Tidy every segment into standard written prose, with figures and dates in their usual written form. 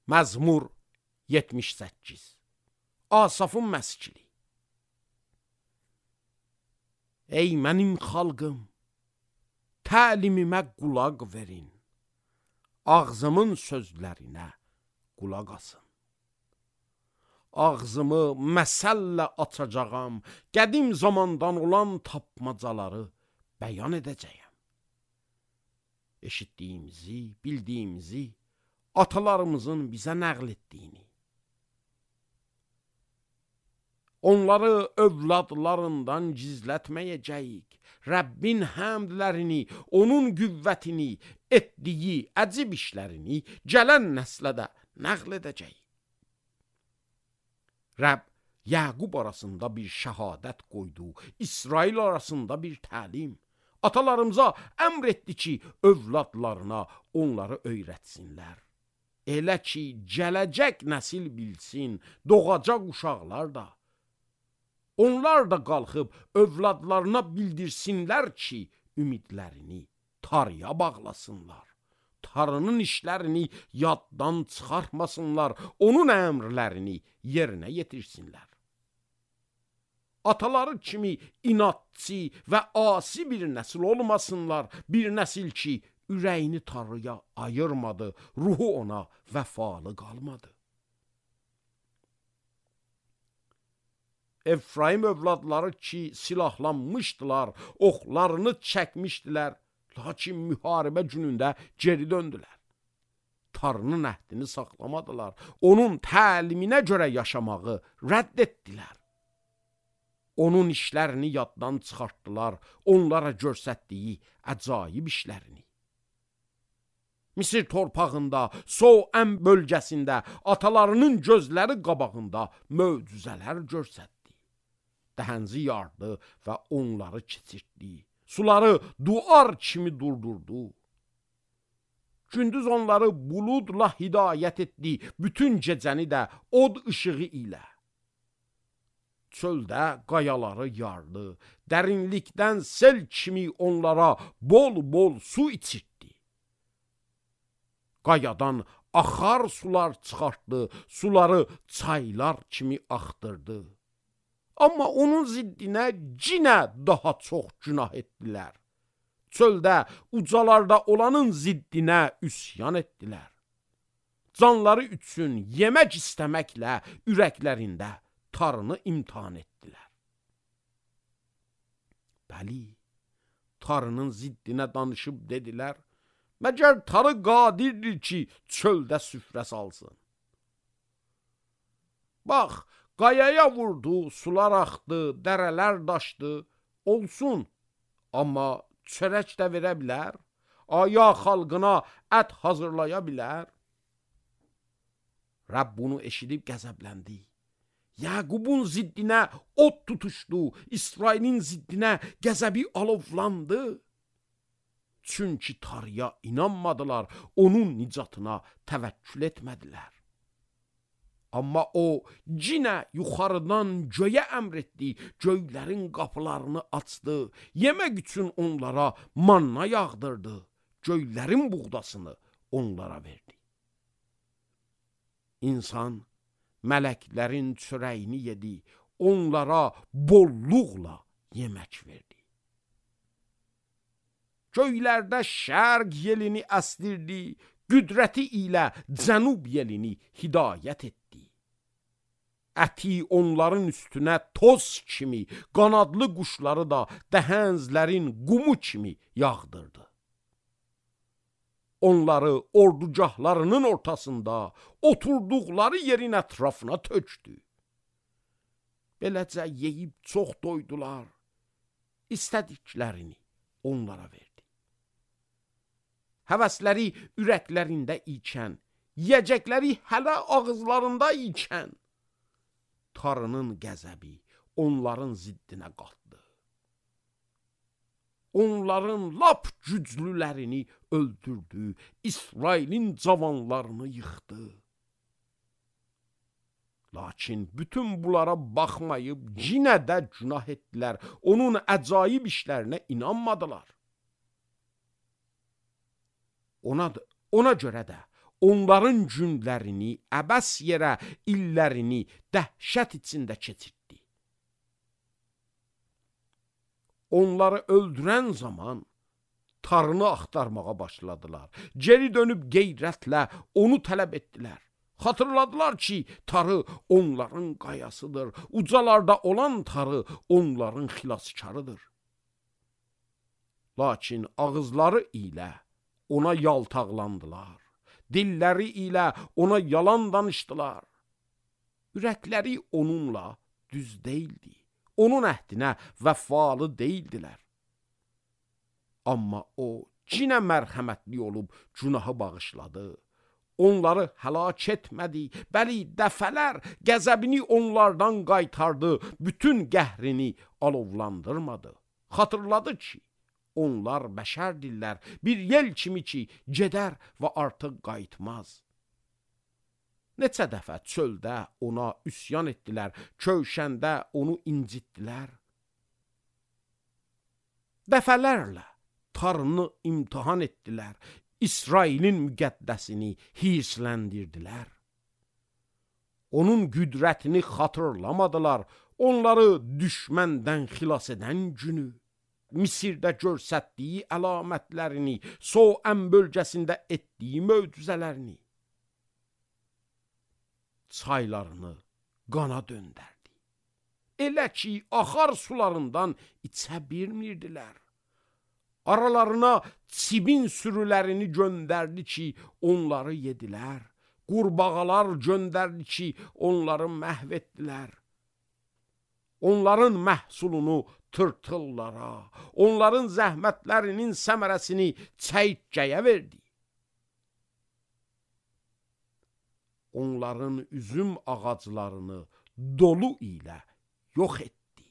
Məzmur 78. Asafın məskili. Ey mənim xalqım, təlimimə qulaq verin, ağzımın sözlərinə qulaq asın. Ağzımı məsəllə açacağam, qədim zamandan olan tapmacaları bəyan edəcəyəm. Eşitdiyimizi, bildiyimizi, atalarımızın bizə nəql etdiyini. Onları övladlarından gizlətməyəcəyik. Rəbbin həmdlərini, onun qüvvətini, etdiyi əcib işlərini gələn nəslə də nəql edəcəyik. Rəbb Yaqub arasında bir şəhadət qoydu, İsrail arasında bir təlim. Atalarımıza əmr etdi ki, övladlarına onları öyrətsinlər. Elə ki, gələcək nəsil bilsin, doğacaq uşaqlar da. Onlar da qalxıb övladlarına bildirsinlər ki, ümidlərini tarıya bağlasınlar. Tarının işlərini yaddan çıxartmasınlar, onun əmrlərini yerinə yetirsinlər. Ataları kimi inatçı və asi bir nəsil olmasınlar, bir nəsil ki, ürəyini tarıya ayırmadı, ruhu ona vəfalı qalmadı. Efraim övladları ki, silahlanmışdılar, oxlarını çəkmişdilər, lakin müharibə günündə geri döndülər. Tarının əhdini saxlamadılar, onun təliminə görə yaşamağı rədd etdilər. Onun işlərini yaddan çıxartdılar, onlara göstərdiyi əcaib işlərini. Misir torpağında, Soəm bölgəsində, atalarının gözləri qabağında möcüzələr göstərdi. Dəhənzi yardı və onları keçirtdi. Suları duar kimi durdurdu. Gündüz onları buludla hidayət etdi, bütün gecəni də od ışığı ilə. Çöldə qayaları yardı, dərinlikdən sel kimi onlara bol-bol su içirtdi. Qayadan axar sular çıxartdı, suları çaylar kimi axtırdı. Amma onun ziddinə cinə daha çox günah etdilər. Çöldə, ucalarda olanın ziddinə üsyan etdilər. Canları üçün yemək istəməklə ürəklərində tarını imtihan etdilər. Bəli, tarının ziddinə danışıb dedilər, məgər tarı qadirdir ki, çöldə süfrə salsın. Bax, qayaya vurdu, sular axdı, dərələr daşdı, olsun, amma çörək də verə bilər, aya xalqına ət hazırlaya bilər. Rəbb bunu eşidib qəzəbləndi. Yaqubun ziddinə od tutuşdu, İsrailin ziddinə qəzəbi alovlandı. Çünki tarıya inanmadılar, onun nicatına təvəkkül etmədilər. Amma o cinə yuxarıdan göyə əmr etdi, göylərin qapılarını açdı, yemək üçün onlara manna yağdırdı, göylərin buğdasını onlara verdi. İnsan mələklərin çörəyini yedi, onlara bolluqla yemək verdi. Göylərdə şərq yelini əsdirdi, qüdrəti ilə cənub yelini hidayət etdi. Əti onların üstünə toz kimi, qanadlı quşları da dəhənzlərin qumu kimi yağdırdı. Onları ordugahlarının ortasında, oturduqları yerin ətrafına tökdü. Beləcə yeyib çox doydular, istədiklərini onlara verdi. Həvəsləri ürəklərində ikən, yiyəcəkləri hələ ağızlarında ikən, tarının qəzəbi onların ziddinə qalxdı. Onların lap güclülərini öldürdü, İsrailin cavanlarını yıxdı. Lakin bütün bunlara baxmayıb yenə də günah etdilər, onun əcaib işlərinə inanmadılar. Ona görə də onların günlərini, əbəs yerə illərini dəhşət içində keçirtdi. Onları öldürən zaman tarını axtarmağa başladılar. Geri dönüb qeyrətlə onu tələb etdilər. Xatırladılar ki, tarı onların qayasıdır. Ucalarda olan tarı onların xilaskarıdır. Lakin ağızları ilə ona yaltaqlandılar. Dilləri ilə ona yalan danışdılar. Ürəkləri onunla düz deyildi. Onun əhdinə vəfalı deyildilər. Amma o cinə mərhəmətli olub günahı bağışladı. Onları həlak etmədi, bəli dəfələr qəzəbini onlardan qaytardı, bütün qəhrini alovlandırmadı. Xatırladı ki, onlar bəşərdirlər, bir yel kimi ki, gedər və artıq qayıtmaz. Neçə dəfə çöldə ona üsyan etdilər, kövşəndə onu incitdilər. Dəfələrlə tarını imtihan etdilər, İsrailin müqəddəsini hirsləndirdilər. Onun qüdrətini xatırlamadılar, onları düşməndən xilas edən günü. Misirdə görsətdiyi əlamətlərini, Soan bölgəsində etdiyi möcüzələrini. Çaylarını qana döndərdi. Elə ki, axar sularından içə bilmirdilər. Aralarına çibin sürülərini göndərdi ki, onları yedilər. Qurbağalar göndərdi ki, onları məhv etdilər. Onların məhsulunu tırtıllara, onların zəhmətlərinin səmərəsini çəyirtkəyə verdi. Onların üzüm ağaclarını dolu ilə yox etdi.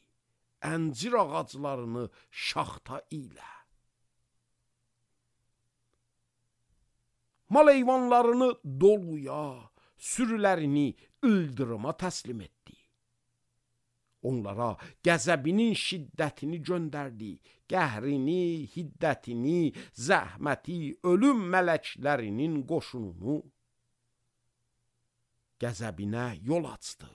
Əncir ağaclarını şaxta ilə. Mal heyvanlarını doluya, sürülərini ildırıma təslim etdi. Onlara qəzəbinin şiddətini göndərdi, qəhrini, hiddətini, zəhməti, ölüm mələklərinin qoşununu. Qəzəbinə yol açdı.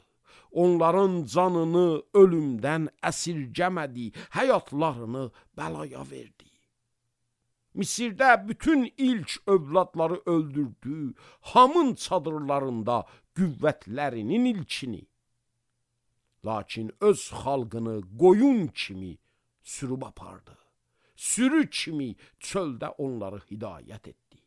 Onların canını ölümdən əsirgəmədi, həyatlarını bəlaya verdi. Misirdə bütün ilk övladları öldürdü, Hamın çadırlarında qüvvətlərinin ilkini. Lakin öz xalqını qoyun kimi sürüb apardı. Sürü kimi çöldə onları hidayət etdi.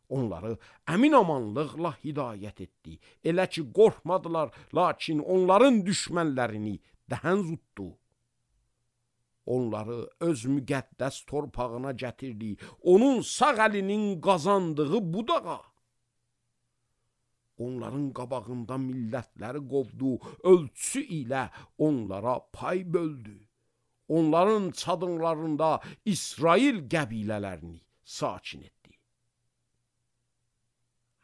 Onları əmin-amanlıqla hidayət etdi. Elə ki, qorxmadılar, lakin onların düşmənlərini dəhən zutdu. Onları öz müqəddəs torpağına gətirdi. Onun sağ əlinin qazandığı budağa. Onların qabağında millətləri qovdu, ölçüsü ilə onlara pay böldü. Onların çadırlarında İsrail qəbilələrini sakin etdi.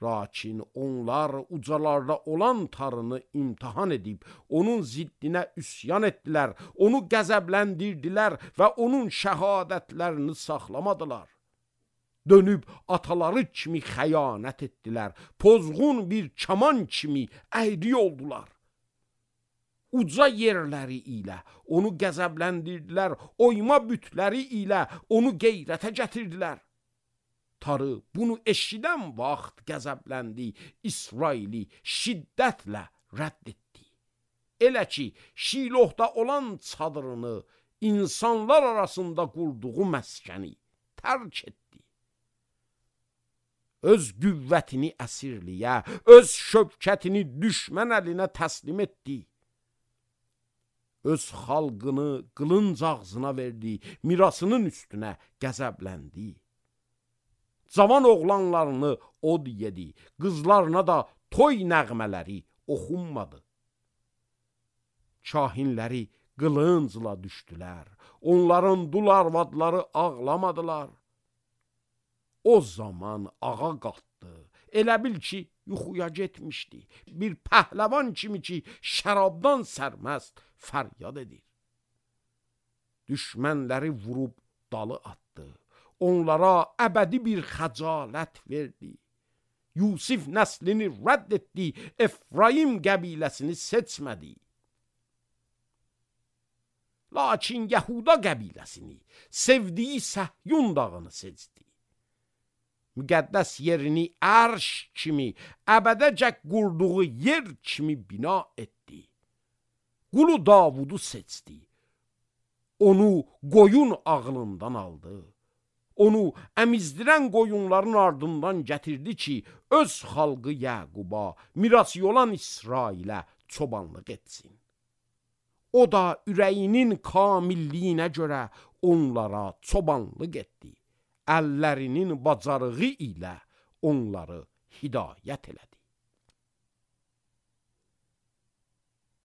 Lakin onlar ucalarda olan tarını imtihan edib, onun ziddinə üsyan etdilər, onu qəzəbləndirdilər və onun şəhadətlərini saxlamadılar. Dönüb ataları kimi xəyanət etdilər, pozğun bir kaman kimi əyri oldular. Uca yerləri ilə onu qəzəbləndirdilər, oyma bütləri ilə onu qeyrətə gətirdilər. Tarı bunu eşidən vaxt qəzəbləndi, İsraili şiddətlə rədd etdi. Elə ki, Şilohda olan çadırını, insanlar arasında qurduğu məskəni tərk etdi. Öz qüvvətini əsirliyə, öz şövkətini düşmən əlinə təslim etdi. Öz xalqını qılınc ağzına verdi, mirasının üstünə qəzəbləndi. Cavan oğlanlarını od yedi, qızlarına da toy nəğmələri oxunmadı. Kahinləri qılıncla düşdülər, onların dul arvadları ağlamadılar. O zaman ağa qalxdı, elə bil ki, yuxuya getmişdi. Bir pəhləvan kimi ki, şərabdan sərməst fəryad edir. Düşmənləri vurub dalı atdı. Onlara əbədi bir xəcalət verdi. Yusif nəslini rədd etdi, Efraim qəbiləsini seçmədi. Lakin Yahuda qəbiləsini, sevdiyi Səhyun dağını seçdi. Müqəddəs yerini ərş kimi, əbədəcək qurduğu yer kimi bina etdi. Qulu Davudu seçdi. Onu qoyun ağlından aldı. Onu əmizdirən qoyunların ardından gətirdi ki, öz xalqı Yaquba, mirası olan İsrailə çobanlıq etsin. O da ürəyinin kamilliyinə görə onlara çobanlıq etdi. Əllərinin bacarığı ilə onları hidayət elədi.